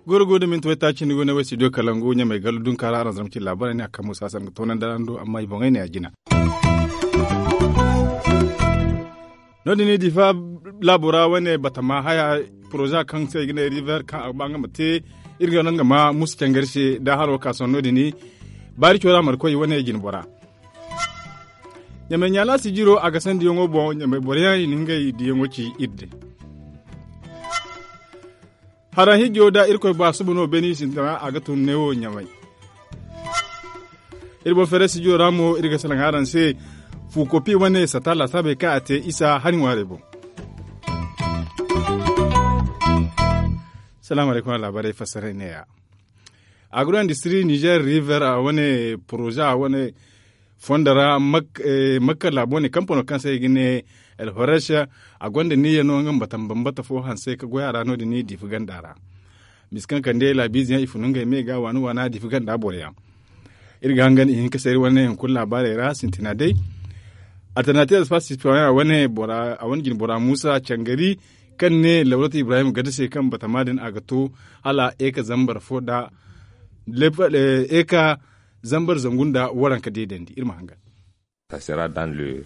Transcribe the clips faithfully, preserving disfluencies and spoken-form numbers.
Goro go da minti waytaaci ni go ne way studio kalangu ɲamay gallu dunka ra araŋ zama ci laabaray ne a kambu saasa nga toonandi araŋ do amma i boŋey ne a jina. No- din i difa laabo ra wane batama haya poroza kaŋ se i ga ne river kaŋ a ga ba nga ma te. Iri ga no nga ma musu cangari se da haro ka sohõ no- din baari cora markoy wane jine bora. Ɲamay ɲaala sijiro a ga sandiyaŋo boŋ ɲamay boro yaŋ i na ngey diyaŋo ci iri din. Haraŋ hijo da irkoy ba suba no beeni sintina a ga tun neewo ɲamay. Iri boŋ feere sijiro ra mo iri ga salaŋ araŋ se. Fu kopi wane sata laasaabey kaŋ a te isa hari ŋwaarey boŋ. Salaamu alaykum a laabaarey fassaray neeya. Agro industri nizer river a wane poroza a wane fondo ra makka laabo ne kampano kaŋ se i ga ne el horesh. A gonda niya no nga ma bata ma bambata fo hanse ka goy a ra no- din diifa ganda ra. Misi kaŋ kande laabiize yaŋ i funu ngey me ga waana waana diifa ganda boro yaŋ. Iri ga hangan i hin ka seeri wane hunkuna laabaarey ra sintina day. Alternative espace citoyen a wane jine bora muusa cangari kaŋ ne lawlatu ibrahim gada se kaŋ batama din a ga to hala eka zambar fo nda eka zambar zangu nda waranka deedandi iri ma hangan. Sera dans le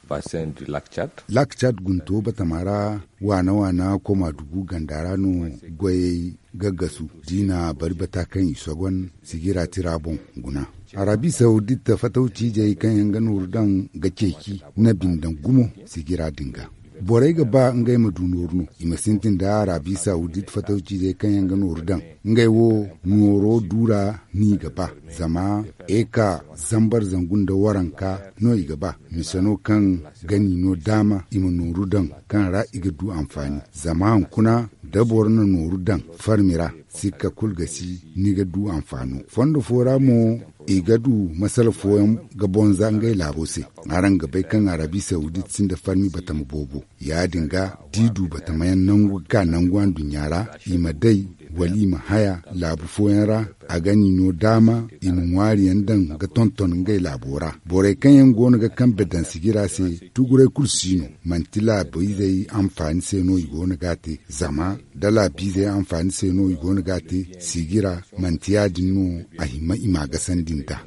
bassin du lac tchad. Lac tchad gunto batama ra waana waana koma dugu ganda ra no goyey ga gasu da i na bari bata kaŋ i sogon sigira tira boŋ guna. Arabi sawdit fatawciijey kaŋ yaŋ ga nooru daŋ ga ceeci na bindaŋ gumo sigira din ga. Borey ga ba ngey ma du nooru no i ma sintin da arabi sawdit fatawciizey kaŋ yaŋ ga nooru daŋ. Ngey wo nooro duura no i ga ba zama eka zambar zangu nda waranka no i ga ba mise no kaŋ gani no daama i ma nooru daŋ kaŋ ra i ga du anfaani. Zama hunkuna da boro na nooru daŋ farmi ra sikka kulu ga si ni ga du anfaano. Fondo fo ra mo i ga du masala fooyaŋ ga bonza ngey laabo se. Araŋ ga bay kaŋ arabi sawdit sinda farmi batama boobo. Ya- din ga da i du batamayaŋ nangu ga ka nangu anduɲɲa ra i ma day wala i ma haya laabu fooyaŋ ra. A ga ni no daama i ma ŋwaariyaŋ daŋ ga tonton ngey laabo ra. Borey kaŋ yaŋ go no ga kambe daŋ sigira se tuguray kulu si no. Manti laabiizey anfaani se no i go no ga a te zama da laabiizey anfaani se no i go no ga a te sigira manti ya- din no a hima i ma a gasandi nda.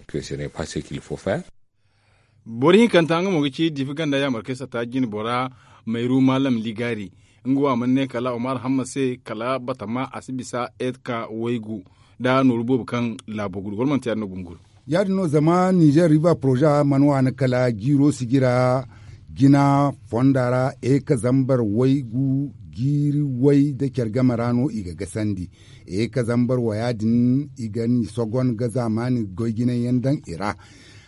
Boro hinkanta nga mo ga ci diifa ganda yaamarkey sata jine bora mayru maalam ligaari. Nga wo a mana ne kala omar hamma se kala batama a si bisa eka waygu da nooru boobo kaŋ laabo gudu wala manti ya- din no gunguru. Ya- din no zama nizer riba poroza mana waani kala jiiro sigira jina fonda ra eka zambar waygu jiiri way da care game ra no i ga gasandi. Eka zambar waya din i ga ni sogon ga zaamaani goy jinay yaŋ daŋ i ra.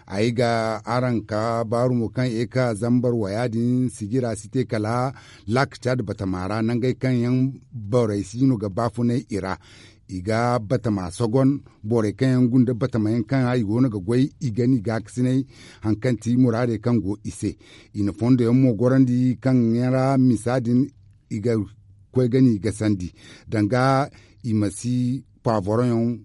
Ay ga araŋ ka baaru mo kaŋ eka zambar waya din sigira si te kala lak cad batama ra nangey kaŋ yaŋ borey si no ga baafunay i ra. I ga batama sogon borey kaŋ yaŋ gunda batama yaŋ kaŋ ra i go no ga goy i ga ni gaakasinay haŋ kaŋ ti muraadey kaŋ go i se. I na fondo yaŋ mo gorandi kaŋ yaŋ ra misa din i ga koy ga ni gasandi danga i ma si paavoroyaŋ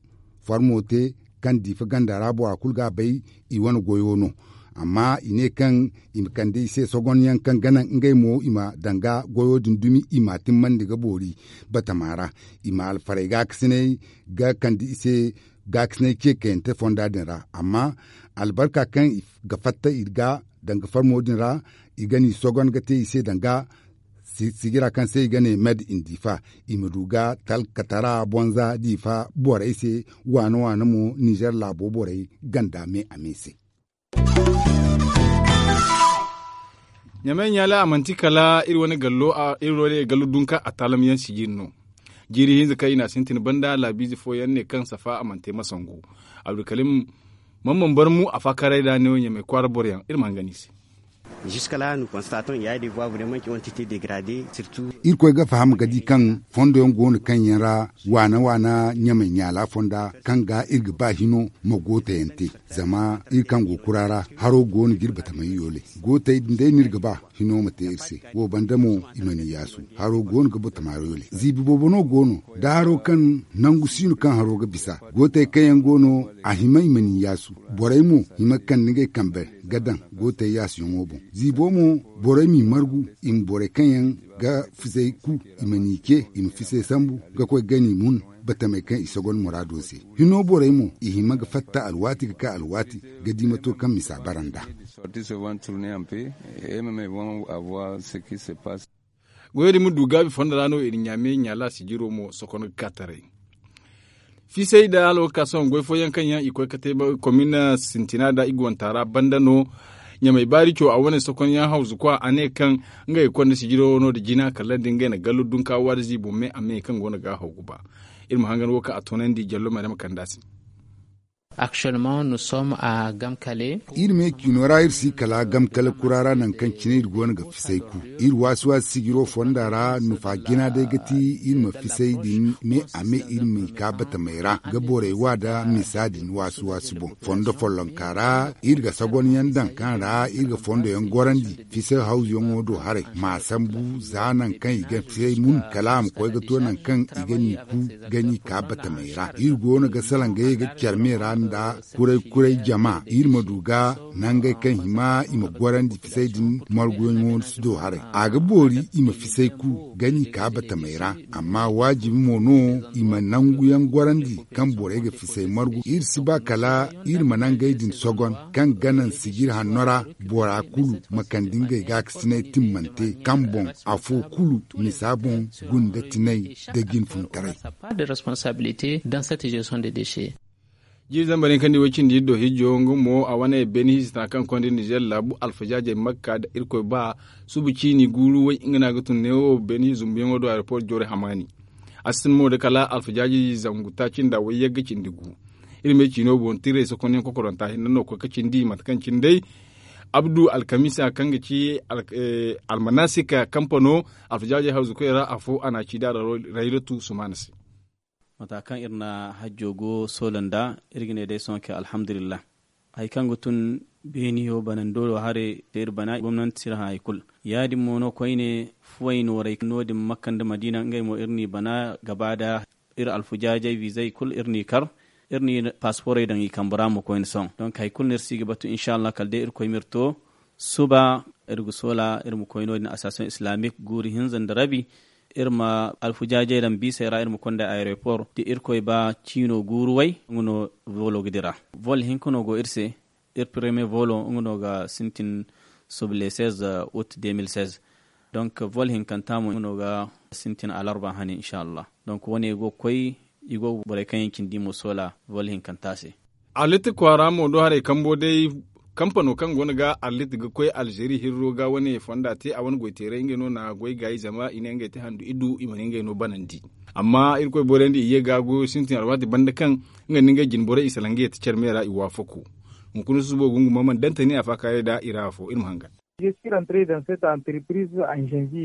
farmo te kaŋ diifa ganda ra bora kulu ga a bay. I wane goyo no amma i ne kaŋ i ma kande i se sogonyaŋ kaŋ ga naŋ ngey mo i ma danga goyo din dumi i ma a timmandi ga boori batama ra. I ma alfarey gaakasinay ga kande i se gaakasinay ce kayante fonda din ra amma albarka kaŋ i ga fatta i ga danga farmo din ra i ga ni sogon ga te i se danga sigira kaŋ se i ga ne med in diifa i ma du ga talkatara bonza diifa borey se waana waana mo nizer laabo borey ganda me a me se. Ɲamay ɲaala a manti kala iri wane gallo dunka a taalam yaŋ sijiri no. Jiiri hinza kaŋ i na a sintin banda laabiize fooyaŋ ne kaŋ safa a mana te masangu. Abdulkalim man man barmu a faakaray da ne wo ɲamay kwaara boroyaŋ iri ma hangan i se. Irkoy ga faham ga di kaŋ fondo yaŋ go no kaŋ yaŋ ra waana waana ɲamay ɲaala fonda kaŋ ga iri ga ba hino ma gootayaŋ te. Zama iri kaŋ go kura ra haro go no ga iri batamay yoole. Gootay din day no iri ga ba hino ma te iri se. Wo banda mo i mana i yaasu. Haro go no ga batamay yoole ziibi boobo no go no da haro kaŋ nangu si no kaŋ haro ga bisa. Gootay kaŋ yaŋ go no a hima i mana i yaasu. Borey mo hima ga kande ngey kambe ga daŋ gootey yaasuyaŋo boŋ. Ziibo mo borey m'i margu i ma borey kaŋ yaŋ ga fisay ku i ma n'i ce i ma fisay sambu ga koy gani mun. Batamey kaŋ i sogon muraado se hino borey mo i hima ga fatta alwaati ga ka alwaati ga di mato kaŋ misa bara nd'a. Goyey din ma du gaabi fondo ra no i na ɲaame ɲaala sijiro mo sokon ga ka taray. Fisay da alwakka sohõ goy fooyaŋ kaŋ yaŋ i koy ga te komin sintina da i ga wanta ra banda no. Ɲamay baari co a wane sokonyaŋ hawzu kwa a ne kaŋ ngey ga konda sijiro no da jina kala da ngey na gallo dunka waada ziibo me a me kaŋ go no ga a haw ga ba. Iri ma hangan wo kaŋ a toonandi jallo ma ne ma kand'a se. Actuellement nous sommes à gamkale. Iri me ciino ra iri si kala gamkale kura ra nangu kaŋ cine iri go no ga fisay ku. Iri waasi waasi sijiro fonda ra nufa jina day ga ti iri ma fisay din me a me iri ma i ka batamey ra ga borey wa da misa din waasi waasi boŋ fondo follonka ra. Iri ga sagonyaŋ daŋ kaŋ ra iri ga fondoyaŋ gorandi fisay hawzuyaŋo do haray ma sambu za nangu kaŋ i ga fisay mun kala a ma koy ga to nangu kaŋ i ga n'i ku ga n'i ka batamey ra. Iri go no ga salaŋ ga ye ga care me ra nda kuray kuray jama iri ma du ga nangey kaŋ hima i ma gorandi fisay din marguyaŋo si do haray. A ga boori i ma fisay ku ga n'i ka batamey ra. Amma waajibi mo no i ma nanguyaŋ gorandi kaŋ borey ga fisay margu iri si ba kala iri ma nangey din sogon kaŋ ga naŋ sijir hanno ra. Bora kulu ma kande ngey gaakasinay timmante kaŋ boŋ afo kulu misa boŋ gunda tinay da jinfuntaray. Jiiri zambar yaŋ kaŋ di way cindi iri do hijo nga mo a wane beene hiisi tana kaŋ konda nizer laabu alfajaajey makka da irkoy ba suba ciini guuru way nga no a ga tun neewo beene hiisi zumbuyaŋo do aeroport joore hamaani. A si tun mo da kala alfajaajey zangu taaci nda way yagga cindi gu. Iri me ciino boŋ tirey sokonyaŋ kokoranta hinne no koy ga cindi mate kaŋ cine day abdu alkamisa kaŋ ga ci almanasika kampano alfajaajey hawzu koy ra afo a na a ci da raylatu sumaana se. Mata kaŋ iri na hajjo go soola nda iri ga ne day sohõ kay alhamdulillah. Hari kaŋ ga tun beeniyo banando do haray te iri bana gomnanti si iri hã hari kulu. Ya- din mo no koyne fuway noorey no- din makka nda madiina ngey mo iri n'i bana gaba da iri alfujaajey wiizey kulu iri n'i kar. Iri n'i paasiporey daŋ i kambe ra mo koyne sohõ donk hari kulu no iri si ga batu inshallah kala day irkoy ma iri to. Suba iri ga soola iri ma koy no- din association islamique guuru hinza nda rabi. Iri ma alfujaajey daŋ biisey ra iri ma konda aeroport da irkoy ba ciino guuru way nga no volo ga dira. Vol hinka no go iri se. Iri premier volo nga no ga sintin suba le seize août deux mille seize. Donc vol hinkanta mo nga no ga sintin alarba hane inshallah. Donc wane go ga koy i go ga borey kaŋ yaŋ cindi mo soola vol hinkanta se. Arlit kwaara mo do haray kambo day kampano kaŋ go no ga arlit ga koy alzeeri hirro ga wane fonda te a wane goyteeray ngey no na goy gaayi zama i ne ngey te handu iddu i mana ngey no banandi. Amma irkoy borey nda i ye ga goyo sintin alwaati banda kaŋ nga nda ngey jinborey i salaŋ ga ye ta care me ra i waafako. Hunkuna susubo gunguma mana dantani a faakaaray da i ra afo iri ma hangan.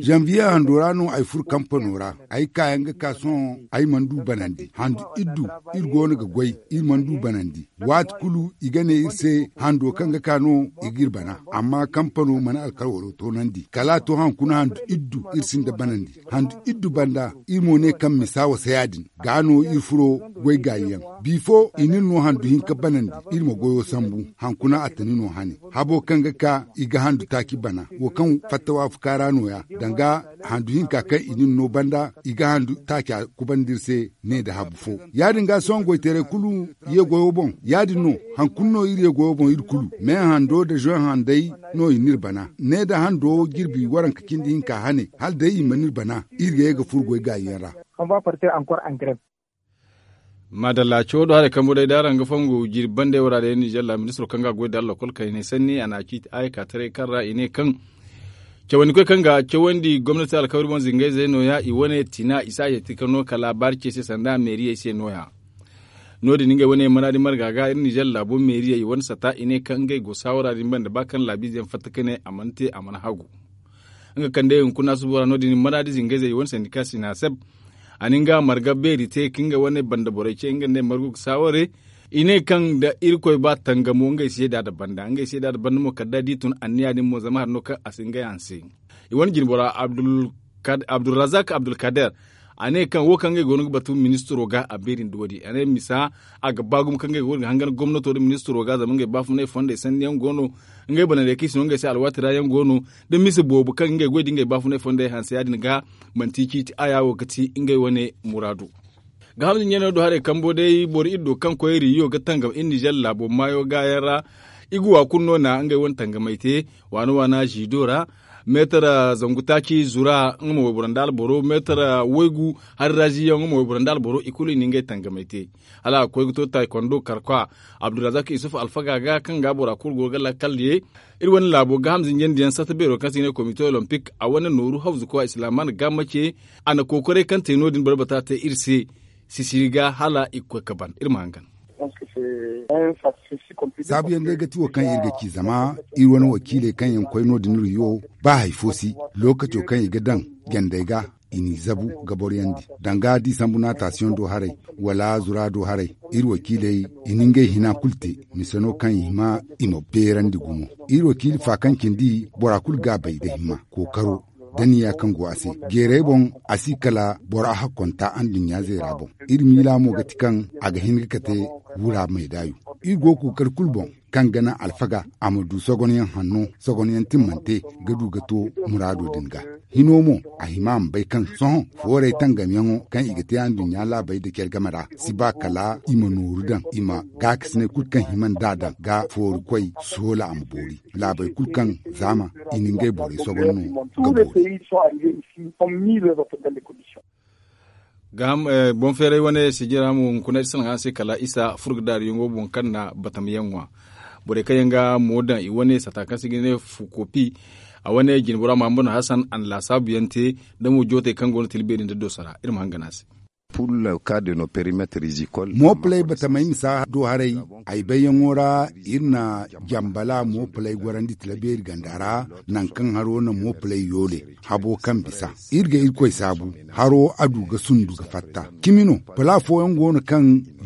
Janvier hando ra no ay furo kampano ra. Ay kaayaŋ ga ka sohõ ay mana du banandi handu iddu. Iri go no ga goy iri mana du banandi. Waati kulu i ga ne iri se hando kaŋ ga ka no i ga iri bana. Amma kampano mana alkawaro toonandi kala a to haŋ kuna handu iddu iri sinda banandi. Handu iddu banda iri mo ne kaŋ misa wasa ya- din ga no iri furo goy gaayi yaŋ. Bifo i n'iri no handu hinka banandi iri ma goyo sambu. Haŋ kuna a tani no hane habo kaŋ ga ka i ga handu taaci bana wo kaŋ fatta waafuka ra no- ya danga handu hinka kaŋ i n'iri no banda i ga handu taaca kubandi iri se. Ne nda habu fo ya- din ga sohõ goyteeray kulu ye goyo boŋ ya- din no. Haŋ kulu no iri ye goyo boŋ iri kulu me hando nda zoŋ handey no i n'iri bana. Ne nda hando jirbi waranka cindi hinka hane hala day i mana iri bana iri ga ye ga furo goy gaayi yaŋ ra. Maadalla cawo do haray kambu day da araŋ ga fongu jirbi bande wara day nizer la ministiro kaŋ ga goy da allakol kaŋ i ne sanni a na a ciiti aaya ka taray kaŋ ra i ne kaŋ cawandi koy kaŋ ga cawandi gomnati alkawari boŋ zingayzey no- ya i wane tina i si a yeeti ka no kala baari ce se sanda meeriyey se no- ya. No- din ngey wane manaadi marga ga iri nizer laabo meeriyey wane sata i ne kaŋ ngey go saawara din banda ba kaŋ laabiize yaŋ fatta ka ne a mana te a mana hagu. Nga kande hunkuna subo ra no- din manaadi zingayzey wane sandika sinaseb a na nga marga beeri te ka nga wane banda borey ce nga nda ay margu ga saaware. I ne kaŋ da irkoy ba tangamo ngey seeda nda banda ngey seeda nda banda mo kala da a di tun anniya din mo zama hari no kaŋ a si ngey hanse. I wane jinbora abdulrazak abdulkader a ne kaŋ wo kaŋ ngey go no ga batu ministiro ga a beeri nda wo- din a ne misa a ga ba gumo kaŋ ngey go no ga hangan gomnato nda ministiro ga zama ngey baafunay fondey sanni yaŋ go no. Ngey banandey kaŋ i si no ngey se alwaati ra yaŋ go no da mise boobo kaŋ ngey goy da ngey baafunay fondey hanse ya- din ga manti i ciiti aya wo ga ti ngey wane muraadu. Ga hamza ɲaneyaŋ do haray kambo day boro iri do kaŋ koy riyo ga tangam iri nizer laabo maayo gaayaŋ ra. I ga wa kulu no na ngey wane tangamey te waana waana ziido ra. Meetar zangu taaci zura nga ma wayboro nda alboro meetar waygu hari ra ziyaŋ nga ma wayboro nda alboro i kulu i na ngey tangamey te. Hala a ga koy ga to taaykondo karkwa abdulrazak isuf alfaga ga kaŋ ga bora kulu go ga lakkal ye. Iri wane laabo ga hamza ɲandiyaŋ sata beero kaŋ se i ne komite olimpik a wane nooru hawzuko a islaman ga mace. A na kookoray kaŋ te no- din boro bata te iri se sisiri ga hala i ga koy ga ban iri ma hangan. Saabuyaŋ day ga ti wo kaŋ iri ga ci zama iri wane wakiiley kaŋ yaŋ koy no- din riyo ba hari fo si lookaco kaŋ i ga daŋ jandey ga i n'i zabu ga boroyandi danga da i sambu naatasiyoŋ do haray wala zura do haray. Iri wakiiley i na ngey hina kulu te mise no kaŋ i hima i ma beerandi gumo. Iri wakiili fa kaŋ cindi bora kulu ga a bay nda himma kookaro da niya kaŋ go a se. Jeeray boŋ a si kala bora hakkonta anduɲɲa zeera boŋ. Iri miila mo ga ti kaŋ a ga hin ga kate wura meedaayu. Iri go ga kookari kulu boŋ kaŋ ga naŋ alfaga a ma du sogonyaŋ hanno sogonyaŋ timmante ga du ga to muraado din ga. Hino mo a hima a ma bay kaŋ sohõ fooray tangamyaŋo kaŋ i ga te anduɲɲa laabey nda care game ra si ba kala i ma nooru daŋ i ma gaakasinay kulu kaŋ hima nd'a daŋ ga foori koy soola a ma boori laabey kulu kaŋ zaama i na ngey borey sogon no ga boori. Boŋ feeray wane sijira mo hunkuna iri salaŋ a se kala isa furgadaariyaŋo boŋ kaŋ na batamyaŋ ŋwa. Borey kaŋ yaŋ ga mo daŋ i wane sata kaŋ se ga ne fukopi a wane jinbora mahammadu hasan a na laasaabuyaŋ te. Da mo jootey kaŋ go no tila beeri nda dooso ra iri ma hangan a se. Moopalay batamey misa do haray ay bayyaŋo ra iri na jambala moopalay gorandi tila beeri ganda ra. Nangu kaŋ haro na moopalay yoole habo kaŋ bisa iri ga irkoy saabu haro a du ga sundu ga fatta cimi no. Pala fooyaŋ go no kaŋ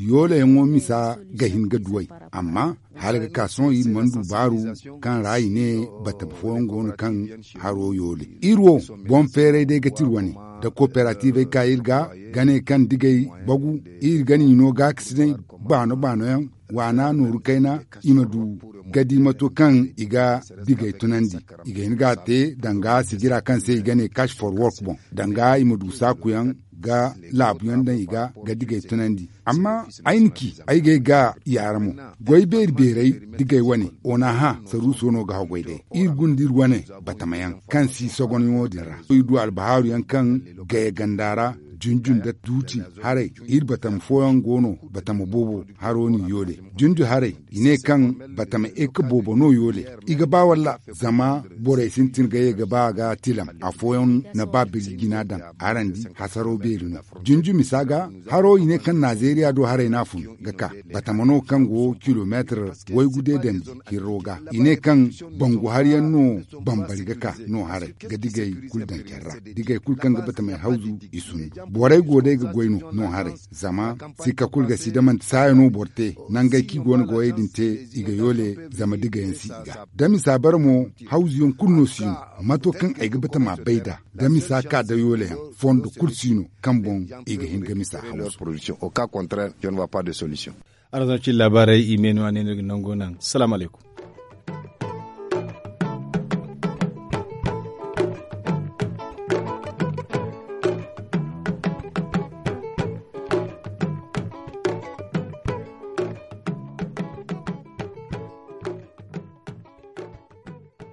yoolayaŋo misa ga hin ga duway amma hala ga ka sohõ iri mana du baaru kaŋ ra i ne batama fooyaŋ go no kaŋ haro yoole. Iri wo boŋ feeray day ga ti iri wane da kooperativey ka iri ga ga ne kaŋ digay bagu iri ga ni no gaakasinay baano baano yaŋ waana nooru kayna i ma du ga di mato kaŋ i ga digay tunandi. I ga hin ga a te danga sijira kaŋ se i ga ne cash for work boŋ danga i ma du saakuyaŋ ga laabuyaŋ daŋ i ga ga digay tunandi. Amma ay na ci ay ga ay ga yaara mo goy beeri beeray digay wane ona hã saruuso no ga haggoy day iri gunda iri wane batamayaŋ kaŋ si sogonyaŋo din ra iri du albahaaruyaŋ kaŋ gaya ganda ra junju nda duuti haray. Iri batama fooyaŋ go no batama boobo haro no yoole junju haray i ne kaŋ batama eka boobo no yoole. I ga ba walla zama borey sintin ga ye ga ba ga tilam afooyaŋ na ba birji jina daŋ. Harandi hasaro beeri no junju misa ga haro i ne kaŋ nazeeriya do haray no a fun ga ka batama no kaŋ go kilomeetir waygu deedandi hirro ga i ne kaŋ bangu hari yaŋ no bambari ga ka no haray ga digay kulu daŋ care ra. Digay kulu kaŋ ga batamey hawzu i sundu borey go day ga goy no no haray zama sikka kulu ga si da manti saaya no boro te nangey kaŋ i go no ga wayey din te i ga yoole. Zama digayaŋ si i ga da misa bare mo hawzuyaŋ kulu no si no mato kaŋ ay ga batama bay nd'a da misa ka da yooleyaŋ fondo kulu si no kaŋ boŋ i ga hin ga misa haw. Araŋ zama cine laabaarey i me no a ne no iri ga nango naŋ salaamu alaykum.